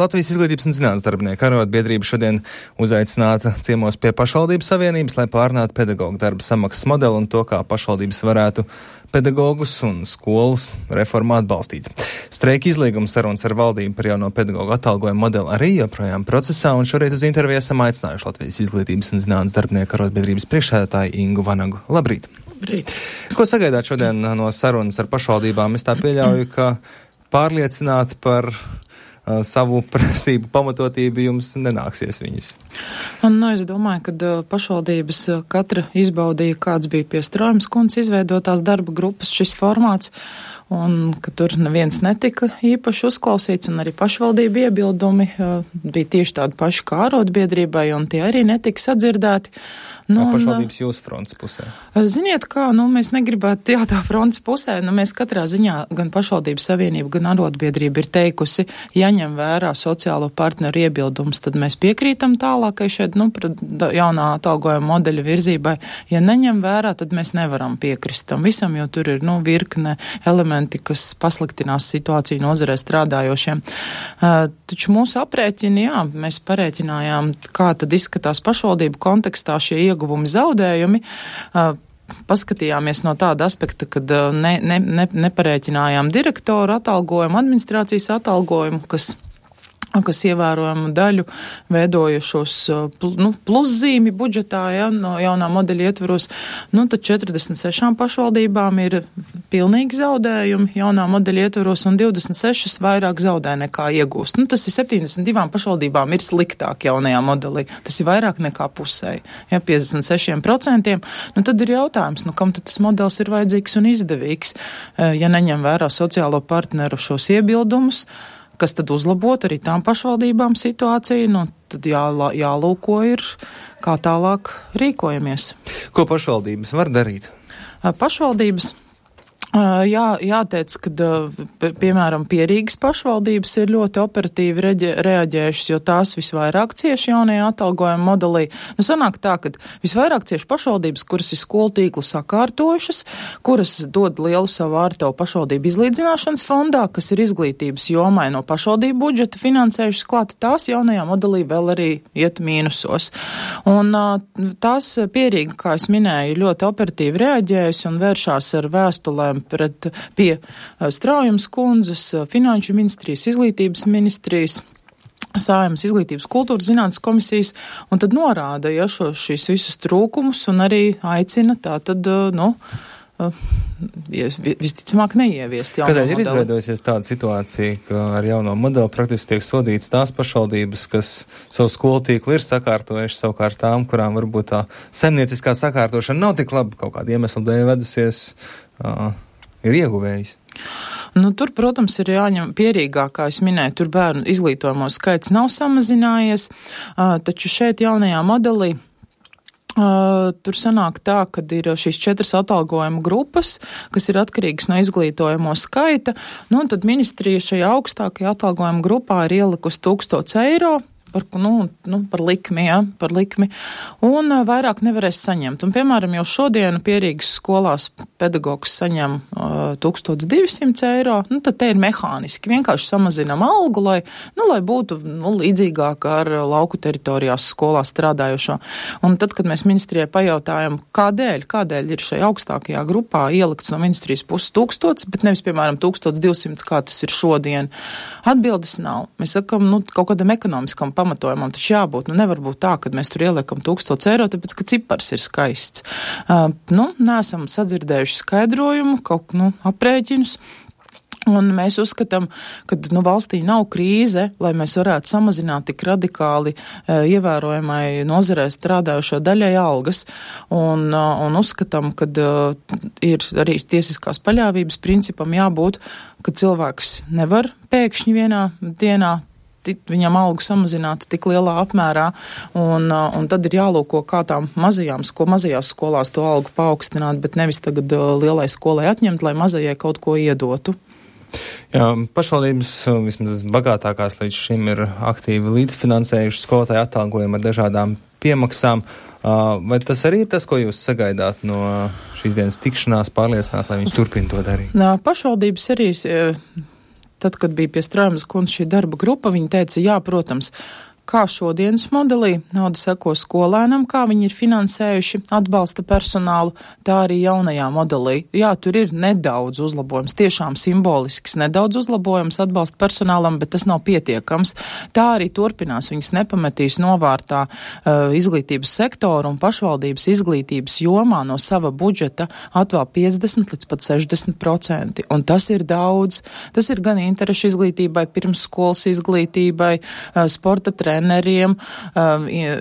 Latvijas izglītības un zinātnes darbinieku arotbiedrība šodien uzaicināta ciemos pie pašvaldības savienības, lai pārunātu pedagoģu darba samaksas modeli un to, kā pašvaldības varētu pedagogus un skolas reformu atbalstīt. Streika izlīguma sarunas ar valdību par jauno pedagoģu atalgojumu modeli arī joprojām procesā, un šorīt uz interviju esam aicinājuši Latvijas izglītības un zinātnes darbinieku arotbiedrības priekšsēdētāju Ingu Vanagu. Labrīt! Labrīt! Ko sagaidāt šodien no sarunas ar pašvaldībām? Es tā pieļauju, ka pārliecināt par savu prasību pamatotību jums nenāksies viņus. Es domāju, ka pašvaldības katra izbaudīja, kāds bija pie Strojums kundzes izveidotās darba grupas šis formāts, un ka tur neviens netika īpaši uzklausīts, un arī pašvaldība iebildumi bija tieši tādi paši kā arotbiedrībai, un tie arī netika sadzirdēti. Pašvaldības jūsu fronts pusē? Ziniet kā, mēs negribētu tā fronts pusē, mēs katrā ziņā gan pašvaldības savienība, gan arotbiedrība ir teikusi, ja ņem vērā sociālo partneru iebildumus, tad mēs piekrītam tālākai šeit, jaunā atalgojuma modeļa virzībai. Ja neņem vērā, tad mēs nevaram piekrist tam visam, jo tur ir, virkne elementi, kas pasliktinās situāciju nozarē strādājošiem. Taču mūsu aprēķini, mēs parēķinājām, kā tad izskatās pašvaldību kontekstā šie ieguvumi, zaudējumi. Paskatījāmies no tāda aspekta, kad neparēķinājām direktoru atalgojumu, administrācijas atalgojumu, kas ievērojumu daļu veidojušos pluszīmi budžetā, no jaunā modeļa ietvaros, tad 46 pašvaldībām ir pilnīgi zaudējumi jaunā modeļa ietvaros, un 26 vairāk zaudē nekā iegūst. Tas ir 72 pašvaldībām ir sliktāk jaunajā modelī. Tas ir vairāk nekā pusēji. 56%. Tad ir jautājums, kam tad tas modelis ir vajadzīgs un izdevīgs, ja neņem vērā sociālo partneru šos iebildumus, kas tad uzlabot arī tām pašvaldībām situāciju, tad jālūko ir, kā tālāk rīkojamies. Ko pašvaldības var darīt? Pašvaldības, jāteic, ka, piemēram, Pierīgas pašvaldības ir ļoti operatīvi reaģējušas, jo tās visvairāk cieši jaunajā atalgojuma modelī. Sanāk tā, ka visvairāk cieši pašvaldības, kuras ir skolu tīklu sakārtojušas, kuras dod lielu savu ārtavu pašvaldību izlīdzināšanas fondā, kas ir izglītības jomai no pašvaldību budžeta finansējušas klāt, tās jaunajā modelī vēl arī iet mīnusos. Un tās Pierīga, kā es minēju, ļoti operatīvi reaģējusi un vēršās ar vēstulēm pie Straujums kundzes, Finanšu ministrijas, Izglītības ministrijas, Saeimas izglītības kultūras zinātnes komisijas, un tad norāda, šīs visus trūkumus un arī aicina visticamāk neieviest jauno modeli. Kādēļ ir izveidojusies tāda situācija, ka ar jauno modeli praktiski tiek sodīts tās pašvaldības, kas savu skolu tīklu ir sakārtojuši, savukārt tām, kurām varbūt tā saimnieciskā sakārtošana nav tik labi kaut kāda iemesla dēļ vedusies, ir ieguvējis? Tur, protams, ir jāņem Pierīgā, kā es minēju, tur bērnu izglītojamo skaits nav samazinājies, taču šeit jaunajā modelī tur sanāk tā, ka ir šīs 4 atalgojuma grupas, kas ir atkarīgas no izglītojamo skaita, tad ministrija šajā augstākajā atalgojuma grupā ir ielikusi 1000 eiro, par likmi, un vairāk nevarēs saņemt. Un, piemēram, jau šodien Pierīgas skolās pedagogs saņem 1200 eiro, tad te ir mehāniski. Vienkārši samazinam algu, lai būtu līdzīgāk ar lauku teritorijās skolās strādājošo. Un tad, kad mēs ministrijai pajautājam, kādēļ ir šajā augstākajā grupā ielikts no ministrijas puses 1000, bet nevis, piemēram, 1200, kā tas ir šodien, atbildes nav. Mēs sakam, kaut kādam ekonomiskam pamatojumam taču jābūt. Nevar būt tā, ka mēs tur ieliekam 1000 eiro, tāpēc, ka cipars ir skaists. Neesam sadzirdējuši skaidrojumu, aprēķinus. Un mēs uzskatām, ka valstī nav krīze, lai mēs varētu samazināt tik radikāli ievērojamai nozarē strādājošo daļai algas. Un uzskatām, ka ir arī tiesiskās paļāvības principam jābūt, ka cilvēks nevar pēkšņi vienā dienā viņam algu samazinātu tik lielā apmērā, un tad ir jālūko, kā tām mazajās skolās to algu paaugstināt, bet nevis tagad lielai skolai atņemt, lai mazajai kaut ko iedotu. Jā, pašvaldības vismaz bagātākās līdz šim ir aktīvi līdzfinansējuši skolotāju atalgojumu ar dažādām piemaksām. Vai tas arī ir tas, ko jūs sagaidāt no šīs dienas tikšanās, pārliecināt, lai viņi turpina to darīt? Pašvaldības arī tad, kad bija pie Straumes kundzes šī darba grupa, viņa teica, jā, protams, kā šodienas modelī nauda seko skolēnam, kā viņi ir finansējuši atbalsta personālu, tā arī jaunajā modelī. Jā, tur ir nedaudz uzlabojums, tiešām simbolisks nedaudz uzlabojums atbalsta personālam, bet tas nav pietiekams. Tā arī turpinās, viņas nepametīs novārtā izglītības sektoru un pašvaldības izglītības jomā no sava budžeta atvēl 50 līdz pat 60%. Un tas ir daudz. Tas ir gan interešu izglītībai, pirmsskolas izglītībai, sporta treneriem,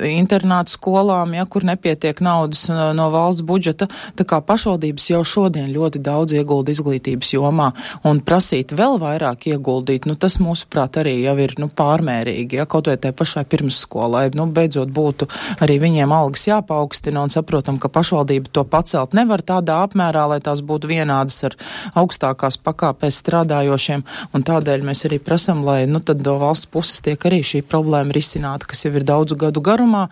internātu skolām, ja, kur nepietiek naudas no valsts budžeta. Tā kā pašvaldības jau šodien ļoti daudz iegulda izglītības jomā un prasīt vēl vairāk ieguldīt, tas mūsuprāt arī jau ir pārmērīgi, ja, kaut vai tai pašai pirmsskolai. Beidzot būtu arī viņiem algas jāpaukstina un saprotam, ka pašvaldība to pacelt nevar tādā apmērā, lai tās būtu vienādas ar augstākās pakāpēs strādājošiem, un tādēļ mēs arī prasam, lai tad no valsts puses tiek arī šī problēma risināta, kas jau ir daudzu gadu garumā,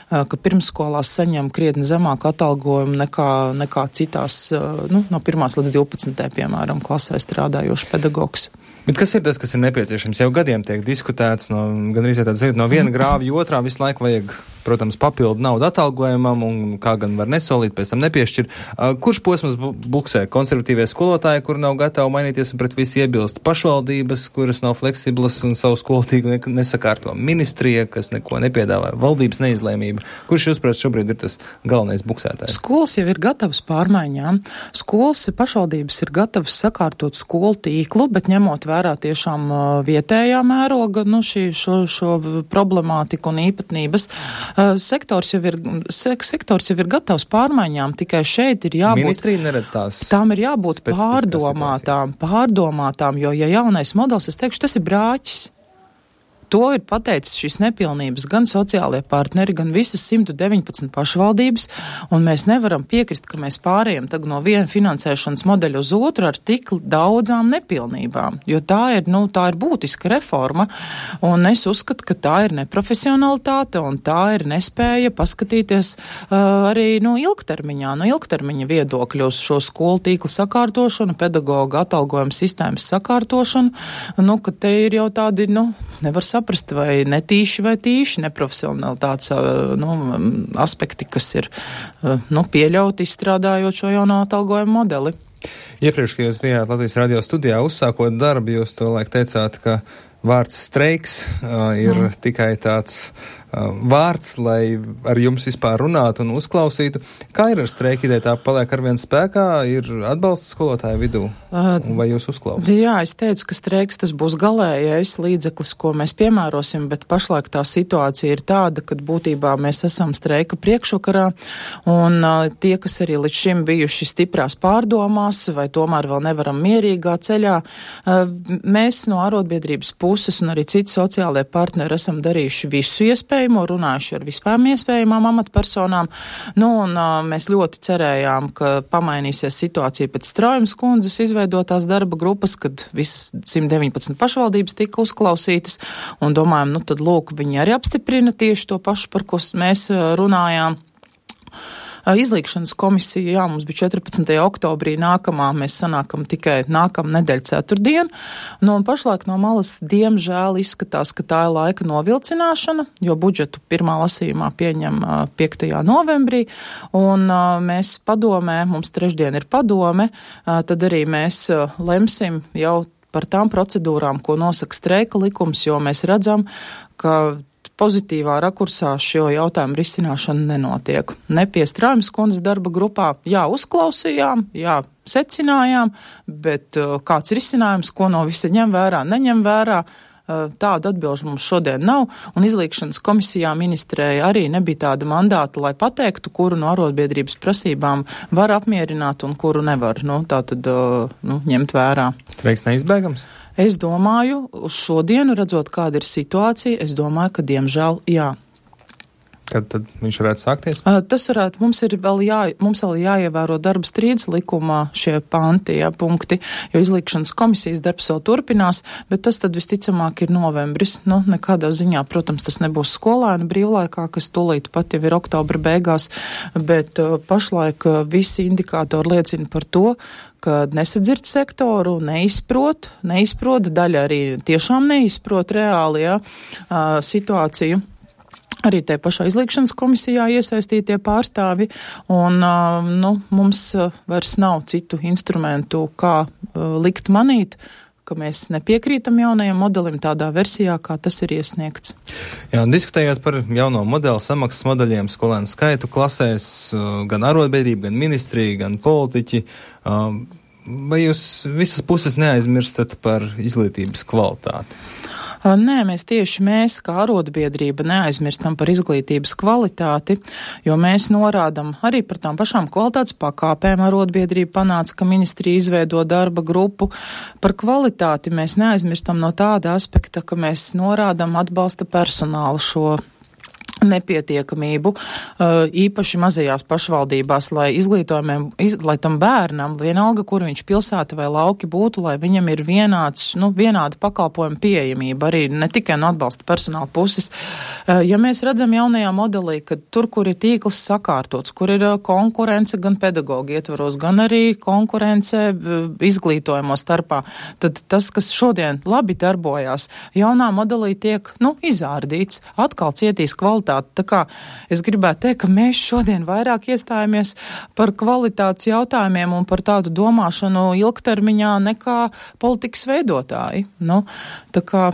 ka pirmsskolās saņem krietni zemāku atalgojumu nekā citās, no 1. līdz 12. piemēram, klasē strādājošs pedagogs. Bet kas ir tas, kas ir nepieciešams? Jau gadiem tiek diskutēts, gandrīz no viena grāvja otrā visu laiku vajag, protams, papildu naudu atalgojumam, un kā gan var nesolīt, pēc tam nepiešķir. Kurš posms buksē? Konservatīvie skolotāji, kur nav gatavi mainīties un pret visu iebilst, pašvaldības, kuras nav fleksiblas un savu skolu tīklu nesakārto, ministrija, kas neko nepiedāvā, valdības neizlēmība. Kurš, jūsuprāt, šobrīd ir tas galvenais buksētājs? Skolas jau ir gatavas pārmaiņām. Skolas pašvaldības ir gatavas sakārtot skolu tīklu, bet ņemot vērā tiešām vietējā mēroga šo problemātiku un īpatnības. Sektors jau ir gatavs pārmaiņām, tikai šeit ir jābūt... Ministrija neredz tās... Tām ir jābūt pārdomātām, jo, ja jaunais modelis, es teikšu, tas ir brāķis. To ir pateicis šīs nepilnības gan sociālie partneri, gan visas 119 pašvaldības, un mēs nevaram piekrist, ka mēs pārējam tagad no viena finansēšanas modeļa uz otru ar tik daudzām nepilnībām, jo tā ir būtiska reforma, un es uzskatu, ka tā ir neprofesionalitāte, un tā ir nespēja paskatīties arī ilgtermiņa viedokļu uz šo skolu tīkla sakārtošanu, pedagoga atalgojuma sistēmas sakārtošanu, ka te ir jau tādi, nevar saprast, vai netīši vai tīši neprofesionalitātes aspekti, kas ir pieļauti izstrādājot šo jauno atalgojumu modeli. Iepriekš, kad jūs bijāt Latvijas radio studijā uzsākot darbu, jūs to laik teicāt, ka vārds streiks ir tikai tāds vārds, lai ar jums vispār runātu un uzklausītu. Kā ir ar streiku ideju? Tā paliek arvien spēkā? Ir atbalsts skolotāju vidū? Vai jūs uzklausāt? Jā, es teicu, ka streiks tas būs galējais līdzeklis, ko mēs piemērosim, bet pašlaik tā situācija ir tāda, ka būtībā mēs esam streika priekšvakarā, un tie, kas arī līdz šim bijuši stiprās pārdomās, vai tomēr vēl nevaram mierīgā ceļā, mēs no arotbiedrības puses un arī citi sociālie partneri esam darījuši visu iespējamo, runājuši ar vispār iespējamām amatpersonām, un mēs ļoti cerējām, ka pamainīsies situācija pēc Straumes kundzes izveidotās darba grupas, kad visas 119 pašvaldības tika uzklausītas, un domājam, tad lūk, viņi arī apstiprina tieši to pašu, par ko mēs runājām. Izlīgšanas komisija, jā, mums bija 14. oktobrī nākamā, mēs sanākam tikai nākamā nedēļa ceturtdien, un pašlaik no malas diemžēl izskatās, ka tā ir laika novilcināšana, jo budžetu pirmā lasījumā pieņem 5. novembrī, un mēs padomē, mums trešdien ir padome, tad arī mēs lemsim jau par tām procedūrām, ko nosaka streika likums, jo mēs redzam, ka pozitīvā rakursā šo jautājumu risināšana nenotiek. Ne pie Straumes kundzes darba grupā, jā, uzklausījām, jā, secinājām, bet kāds risinājums, ko no visa ņem vērā, neņem vērā, tādu atbilžu mums šodien nav, un izlīgšanas komisijā ministrēja arī nebija tāda mandāta, lai pateiktu, kuru no arotbiedrības prasībām var apmierināt un kuru nevar, ņemt vērā. Streiks neizbēgams? Es domāju, uz šodienu, redzot, kāda ir situācija, es domāju, ka diemžēl jā. Kad tad viņš varētu sākties? Tas varētu, mums vēl jāievēro darba strīdus likumā šie panti, punkti, jo izlīgšanas komisijas darbs vēl turpinās, bet tas tad visticamāk ir novembris. Nekādā ziņā, protams, tas nebūs skolēnu brīvlaikā, kas tūlīt pat jau ir oktobra beigās, bet pašlaik visi indikātori liecina par to, ka nesadzird sektoru, neizprot, daļa arī tiešām neizprot reāli, situāciju. Arī te pašā izlīgšanas komisijā iesaistītie pārstāvi, un mums vairs nav citu instrumentu, kā likt manīt, ka mēs nepiekrītam jaunajam modelim tādā versijā, kā tas ir iesniegts. Jā, diskutējot par jauno modeli, samaksas modeļiem, skolēnu skaitu klasēs, gan arotbiedrība, gan ministrija, gan politiķi, vai jūs visas puses neaizmirstat par izglītības kvalitāti? Nē, mēs kā arotbiedrība neaizmirstam par izglītības kvalitāti, jo mēs norādam arī par tām pašām kvalitātes pakāpēm. Arotbiedrība panāca, ka ministrija izveido darba grupu. Par kvalitāti mēs neaizmirstam no tāda aspekta, ka mēs norādam atbalsta personālu šo nepietiekamību, īpaši mazajās pašvaldībās, lai tam bērnam, vienalga, kur viņš pilsēta vai lauki būtu, lai viņam ir vienāda pakalpojuma pieejamība, arī ne tikai no atbalsta personāla puses. Ja mēs redzam jaunajā modelī, ka tur, kur ir tīkls sakārtots, kur ir konkurence gan pedagoģi ietvaros, gan arī konkurence izglītojamo starpā, tad tas, kas šodien labi darbojās, jaunā modelī tiek, izārdīts, atkal cietīs kvalitāti. Tā kā es gribētu teikt, ka mēs šodien vairāk iestājamies par kvalitātes jautājumiem un par tādu domāšanu ilgtermiņā nekā politikas veidotāji. Tā kā,